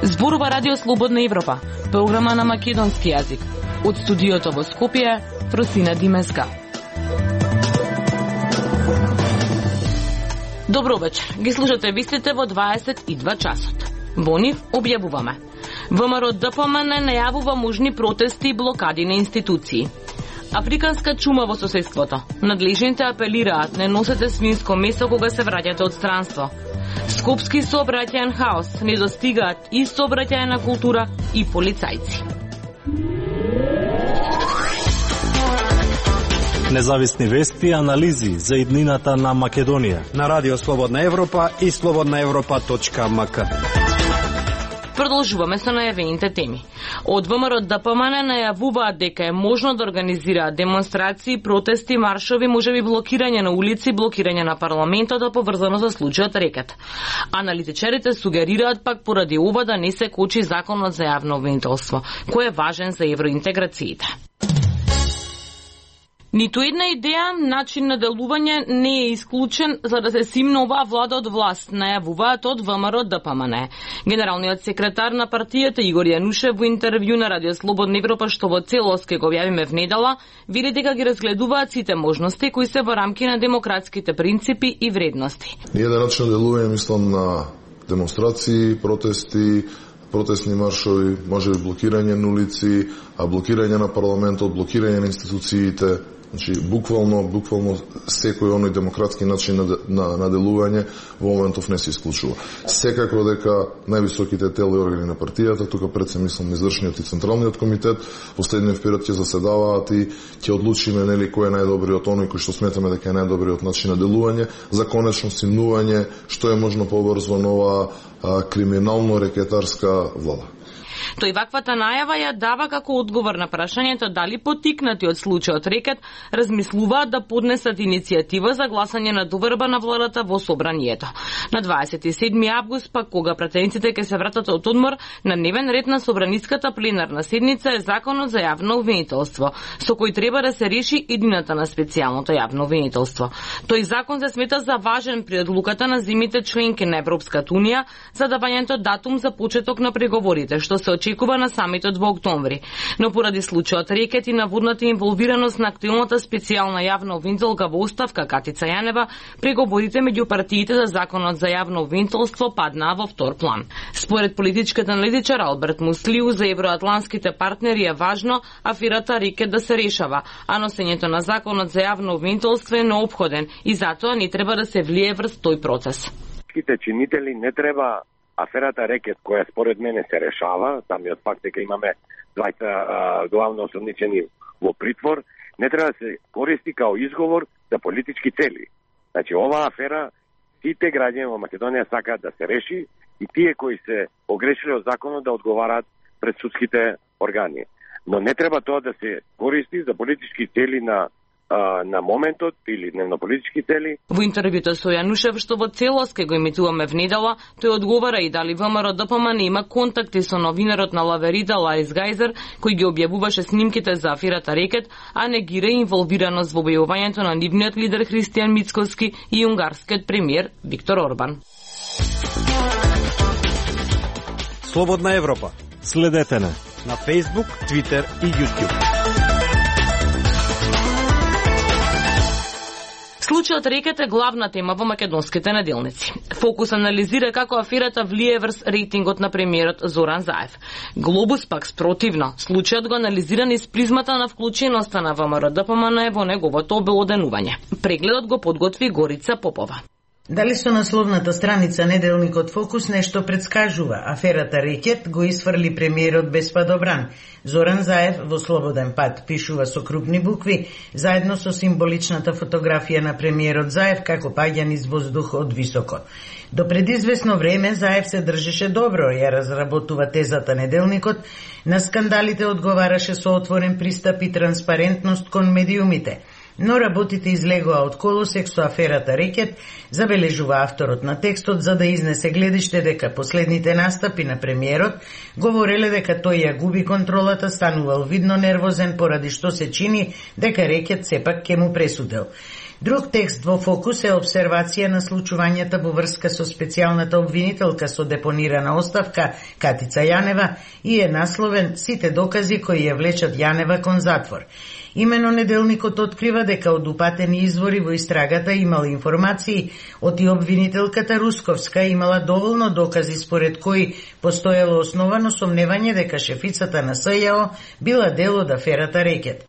Зборува Радио Слободна Европа, програма на македонски јазик. Од студиото во Скопје, Фросина Димеска. Добро вечер. Ги слушате вистите во 22 часот. Во нив објавуваме. ВМРО ДПМН најавува можни протести и блокади на институции. Африканска чума во соседството. Надлежните апелираат: не носете свинско месо кога се враќате од странство. Скопски сообраќаен хаос, не достигаат и сообраќајна култура и полицајци. Независни вести и анализи за иднината на Македонија на Радио Слободна Европа и slobodnaevropa.mk. Продолжуваме со најавените теми. Од ВМРО ДПМН најавуваат дека е можно да организираат демонстрации, протести, маршови, можеби блокирање на улици, блокирање на парламентот поврзано со случајот Рекет. Аналитичарите сугерираат пак поради ова да не се кочи законот за јавно обвинителство, кој е важен за евроинтеграциите. Ниту една идеја, начин на делување не е исклучен за да се симне оваа влада од власт, најавуваат од ВМРО ДПМН. Генералниот секретар на партијата Игор Јанушев во интервју на Радио Слободна Европа, што во целост ке го објавиме внедела, вели дека ги разгледуваат сите можности кои се во рамки на демократските принципи и вредности. Еден начин на делување, мислам, на демонстрации, протестни маршови, можеби блокирање на улици, а блокирање на парламентот, блокирање на институциите. Значи, буквално секој оној демократски начин на делување во моментов не се исклучува. Секако дека највисоките тела и органи на партијата, тука пред се мислам извршниот и централниот комитет, последниот период ќе заседаваат и ќе одлучиме нели кој е најдобриот оној кој што сметаме дека е најдобриот начин на делување за конечно симнување што е можно побрзо нова криминално рекетарска влада. Тој ваквата најава ја дава како одговор на прашањето дали поттикнати од случајот Рекет размислуваат да поднесат иницијатива за гласање на доверба на владата во собранието. На 27 август пак кога пратениците ќе се вратат од одмор, на дневен ред на собраниската пленарна седница е законот за јавно обвинителство, со кој треба да се реши иднината на специјалното јавно обвинителство. Тој закон се смета за важен при одлуката на земјите членки на Европската унија за давањето датум за почеток на преговорите, што се очекува на самитот во октомври. Но поради случајот Рекет и наводната инволвираност на актуелната специјална јавна обвинителка во оставка Катица Јанева, преговорите меѓу партиите за законот за јавно обвинителство паднаа во втор план. Според политичкиот аналитичар Алберт Муслиу, за евроатланските партнери е важно аферата Рекет да се решава, а носењето на законот за јавно обвинителство е неопходен и затоа не треба да се влие врз тој процес. Чинители не треба аферата Рекет, која според мене се решава, самиот факт дека имаме двајца главно осомничени во притвор, не треба да се користи као изговор за политички цели. Значи, оваа афера, сите граѓани во Македонија сакаат да се реши и тие кои се погрешили од законот да одговараат пред судските органи. Но не треба тоа да се користи за политички цели на моментот или дневнополитички цели. Во интервјуто со Јанушев, што во целост ке го емитуваме внедела, тој одговара и дали ВМРО ДПМН има контакти со новинарот на Лаверида Ларис Гајзер, кој ги објавуваше снимките за аферата Рекет, а негира инволвираност во објавувањето на нивниот лидер Христијан Мицкоски и унгарскиот премиер Виктор Орбан. Слободна Европа. Следете на Facebook, Twitter и YouTube. Случајот Рекет е главна тема во македонските неделници. Фокус анализира како аферата влие врз рейтингот на премиерот Зоран Заев. Глобус пак спротивно. Случајот го анализира низ призмата на вклученоста на ВМРО ДПМН во неговото обелоденување. Прегледот го подготви Горица Попова. Дали со насловната страница неделникот Фокус нешто предскажува? Аферата Рекет го исфрли премиерот без падобран. Зоран Заев во слободен пат пишува со крупни букви, заедно со символичната фотографија на премиерот Заев како паѓа низ воздух од високо. До предизвесно време Заев се држеше добро, ја разработува тезата неделникот, на скандалите одговараше со отворен пристап и транспарентност кон медиумите. но работите излегоа од колосек со аферата Рекет, забележува авторот на текстот, за да изнесе гледиште дека последните настапи на премиерот говореле дека тој ја губи контролата, станувал видно нервозен поради што се чини дека Рекет сепак ќе му пресудел. Друг текст во фокус е обсервација на случувањата во врска со специјалната обвинителка со депонирана оставка Катица Јанева и е насловен "Сите докази кои ја влечат Јанева кон затвор". Имено неделникот открива дека од упатени извори во истрагата имала информации од и обвинителката Русковска имала доволно докази според кои постоело основано сомневање дека шефицата на СЈО била дел од аферата Рекет.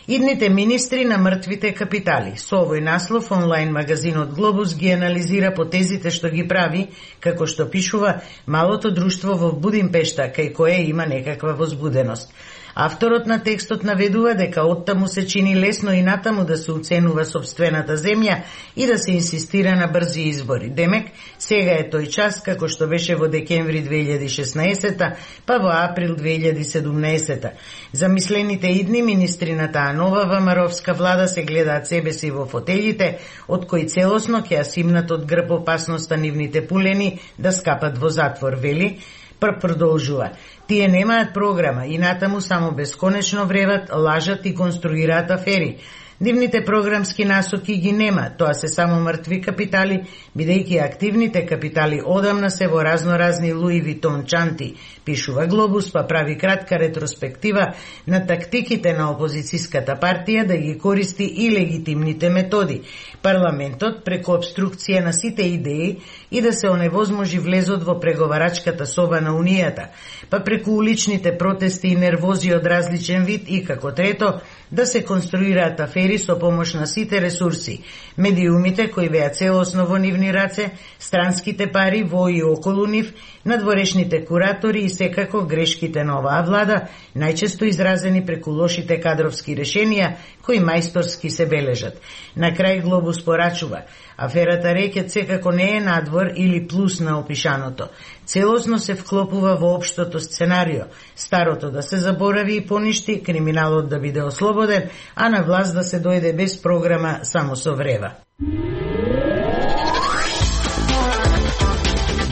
Идните министри на мртвите капитали. Со овој наслов онлайн магазинот Глобус ги анализира потезите што ги прави, како што пишува, малото друштво во Будимпешта, кај кое има некаква возбуденост. Авторот на текстот наведува дека оттаму се чини лесно и натаму да се уценува сопствената земја и да се инсистира на брзи избори. Демек, сега е тој час, како што беше во декември 2016, па во април 2017. Замислените идни министри на таа нова ВМРО-вска влада се гледаат себе си во фотелите, од кои целосно ќе ја симнат од грб опасноста нивните пулени да скапат во затвор, вели. Продолжува. Тие немаат програма и натаму само бесконечно вреват, лажат и конструираат афери. Нивните програмски насоки ги нема, тоа се само мртви капитали, бидејќи активните капитали одамна се во разноразни Луи Витон чанти, пишува Глобус, па прави кратка ретроспектива на тактиките на опозицијската партија да ги користи и легитимните методи. Парламентот преку обструкција на сите идеи и да се оневозможи влезот во преговарачката соба на Унијата, па преку уличните протести и нервози од различен вид и како трето, да се конструираат афери со помош на сите ресурси, медиумите кои беа целосно во нивни раце, странските пари во и околу нив, надворешните куратори и секако грешките на оваа влада, најчесто изразени преку лошите кадровски решенија кои мајсторски се бележат. На крај Глобус порачува, аферата Рекет секако не е надвор или плюс на опишаното. Целосно се вклопува во општото сценарио, старото да се заборави и поништи, криминалот да биде ослободен, а на власт да се дојде без програма само со врева.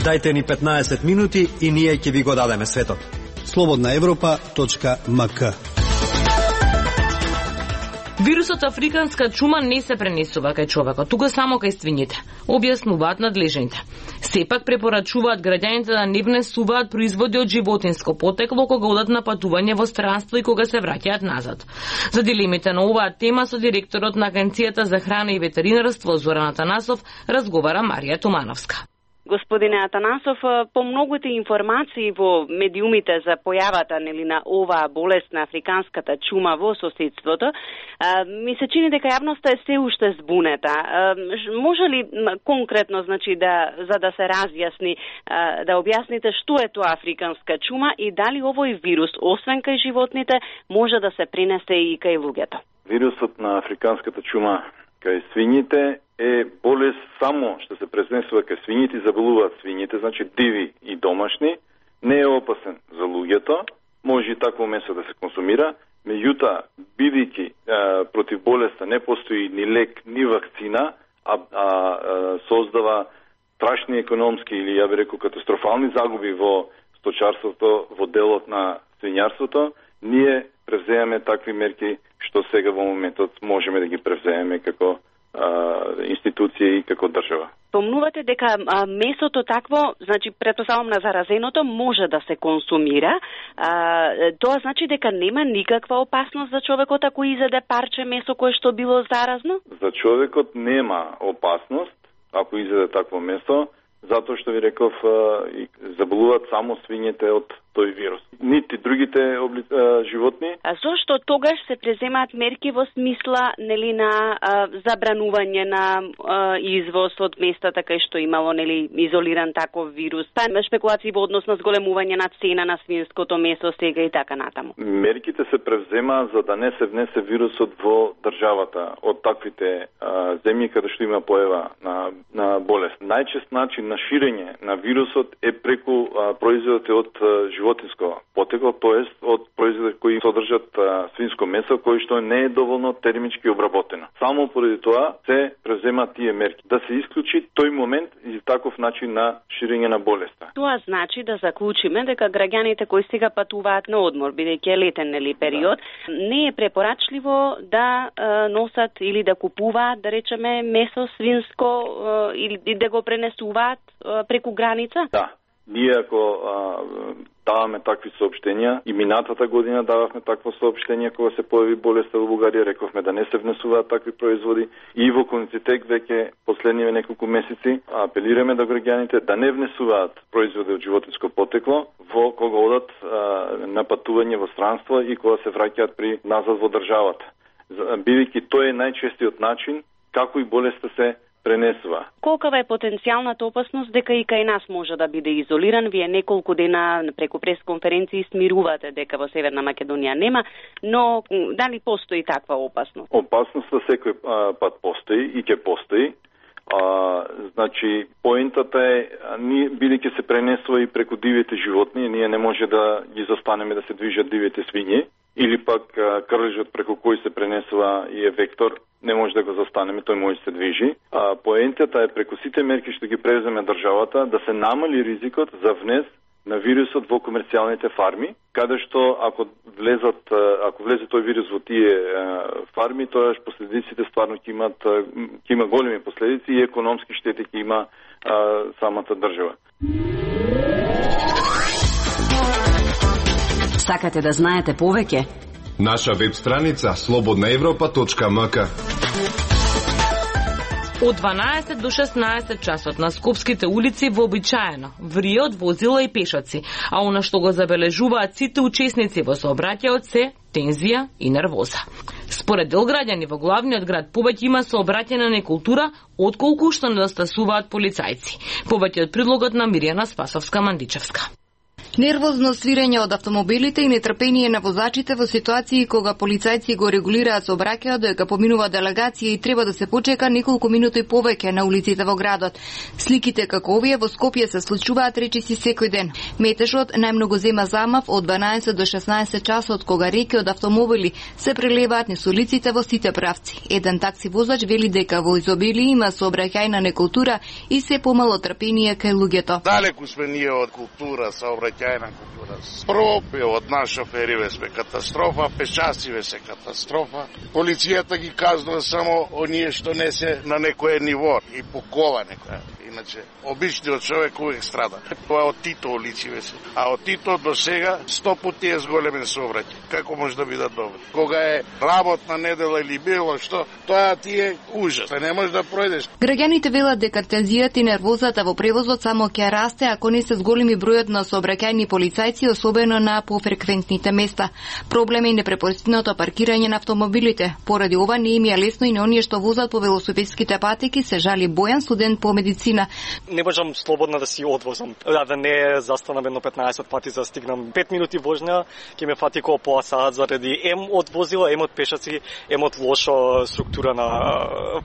Дајте ни 15 минути и ние ќе ви го дадеме светот. slobodnaevropa.mk. Вирусот африканска чума не се пренесува кај човекот, туку само кај свињите, објаснуваат надлежните. Сепак препорачуваат граѓаните да не внесуваат производи од животинско потекло кога одат на патување во странство и кога се враќаат назад. За дилемите на оваа тема со директорот на Агенцијата за храна и ветеринарство Зоран Атанасов разговара Марија Тумановска. Господине Атанасов, по многуте информации во медиумите за појавата на оваа болест на африканската чума во соседството, ми се чини дека јавноста е се уште збунета. Може ли конкретно, за да се разјасни, да објасните што е тоа африканска чума и дали овој вирус, освен кај животните, може да се пренесе и кај луѓето? Вирусот на африканската чума кај свињите е болест само што се презнесува кај свињите и заболуваат свињите, значи диви и домашни, не е опасен за луѓето, може и такво месо да се консумира, меѓутоа, бидејќи против болеста не постои ни лек, ни вакцина, создава страшни економски или ја би рекол катастрофални загуби во сточарството, во делот на свињарството, ние превземаме такви мерки што сега во моментот можеме да ги превземеме како институција и како држава. Помнувате дека месото такво, значи претпоставам на заразеното, може да се консумира. Тоа значи дека нема никаква опасност за човекот ако изеде парче месо кое што било заразно? За човекот нема опасност ако изеде такво месо, затоа што ви реков заболуваат само свињете од тој вирус. Нити другите животни. А зошто тогаш се преземаат мерки во смисла на забранување на извоз од местата кај што имало изолиран таков вирус? Па шпекулации во однос на зголемување на цена на свинското месо сега и така натаму. Мерките се превземаат за да не се внесе вирусот во државата од таквите земји каде што има појава на болест. Најчест начин на ширење на вирусот е преку производите од животинско потекло, тоест од производи кои содржат свинско месо, кој што не е доволно термички обработено. Само поради тоа се преземаат тие мерки да се исклучи тој момент и таков начин на ширење на болеста. Тоа значи да заклучиме дека граѓаните кои сега патуваат на одмор, бидејќи е летен период, не е препорачливо да носат или да купуваат, да речеме, месо свинско или да го пренесуваат преку граница? Да. Ние ако даваме такви соопштенија, и минатата година дававме такво соопштение кога се појави болеста во Бугарија, рековме да не се внесуваат такви производи, и во Коницитек веќе последниве неколку месеци апелираме до граѓаните да не внесуваат производи од животинско потекло во кога одат на патување во странство и кога се враќаат при назад во државата. Бидејќи тој е најчестиот начин како и болеста се пренесува. Колкава е потенцијалната опасност дека и кај нас може да биде изолиран? Вие неколку дена преку пресконференции смирувате дека во Северна Македонија нема, но дали постои таква опасност? Опасноста секој пат постои и ќе постои. Значи, поентата е, бидејќи се пренесува и преку дивите животни, ние не може да ги застанеме да се движат дивите свињи, или пак крлежот преку кој се пренесува и е вектор, не може да го застанеме, тој може да се движи. Поентата е преку сите мерки што ги преземе државата да се намали ризикот за внес на вирусот во комерцијалните фарми, каде што ако влезе тој вирус во тие фарми, тоа последиците стварно ќе има големи последици и економски штети ќе има самата држава. Сакате да знаете повеќе? Наша веб страница slobodnaevropa.mk. Од 12 до 16 часот на скопските улици вообичаено вријат возила и пешаци, а она што го забележуваат сите учесници во сообраќајот се тензија и нервоза. Според дел граѓани во главниот град повеќе има сообраќајна некултура отколку што недостасуваат полицајци. Повеќе од предлогот на Мирјана Спасовска-Мандичевска. Нервозно свирење од автомобилите и нетрпение на возачите во ситуации кога полицајци го регулираат сообраќајот дека поминува делегација и треба да се почека неколку минути повеќе на улиците во градот. Сликите како овие во Скопје се случуваат речиси секој ден. Метежот најмногу зема замав од 12 до 16 часот кога реки од автомобили се прелеваат низ улиците во сите правци. Еден такси возач вели дека во изобилие има сообраќајна некултура и се помало трпение кај луѓето. Далеку сме ние од култура сообраќајна култура. Пропе од нас шофериве сме катастрофа, пешациве се катастрофа. Полицијата ги казнува само оние што не се на некој ниво и по кола некоја. Иначе, обичниот човек увек страда. Тоа од Тито улициве се. А од Тито до сега 100 пати е зголемен сообраќај. Како може да биде добро? Кога е работна недела или било што, тоа ти е ужас. Не може да пројдеш. Граѓаните велат дека тензијата и нервозата во превозот само ќе расте ако не се зголеми бројот на сообраќајни полицајци, особено на пофреквентните места. Проблем е непрепустеното паркирање на автомобилите. Поради ова не им е лесно и на оние што возат по велосипедските патеки, се жали Бојан, студент по медицина. Не можам слободно да си одвозам. Да не застанам едно 15 пати за стигнам 5 минути возња, ќе ме фати околу пола саат заради од возила, од пешаци, од лоша структура на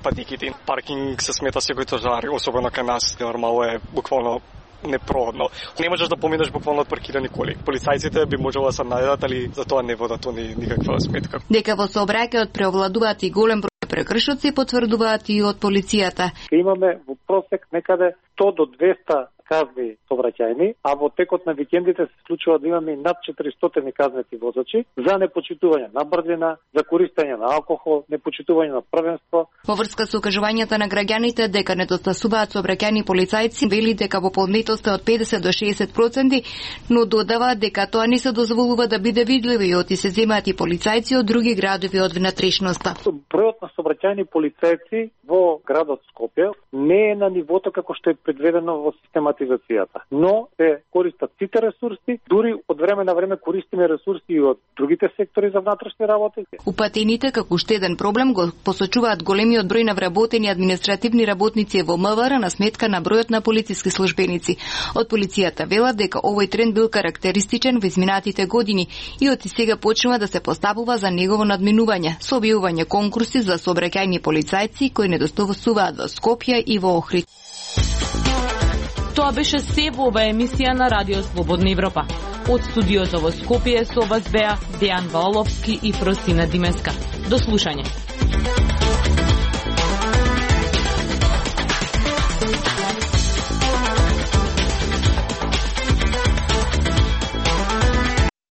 патеките. Паркинг се смета секој тожар, особено кај нас, нормално е буквално непроходно. Не можеш да поминеш буквално од паркирани коли. Полицајците би можело да се најдат, али за тоа не водат они никаква сметка. Дека во сообраќајот преовладуваат и голем број прекршоци, потврдуваат и од полицијата. Имаме во просек некаде 100 до 200 казни сообраќајни, а во текот на викендите се случува да имаме над 400 казнети возачи за непочитување на брзина, за користење на алкохол, непочитување на првенство. Во врска со укажувањата на граѓаните дека недостасуваат сообраќајни полицајци, вели дека во подметост е од 50 до 60%, но додава дека тоа не се дозволува да биде видливо и оти се земаат и полицајци од други градови од внатрешноста. Бројот на сообраќајни полицајци во градот Скопје не е на нивото како што е предвидено во систематизацијата, но се користат сите ресурси, дури од време на време користиме ресурси и од другите сектори за внатрешни работи. Упатените како уште еден проблем го посочуваат големиот број на вработени административни работници во МВР на сметка на бројот на полициски службеници. Од полицијата велат дека овој тренд бил карактеристичен во изминатите години и од сега почнува да се поставува за негово надминување со објавување конкурси за сообраќајни полицајци кои недостасуваат во Скопје и во Охрид. Тоа беше се во оваа емисија на Радио Слободна Европа. Од студиото во Скопје со вас беа Дејан Ваоловски и Фросина Димеска. До слушање.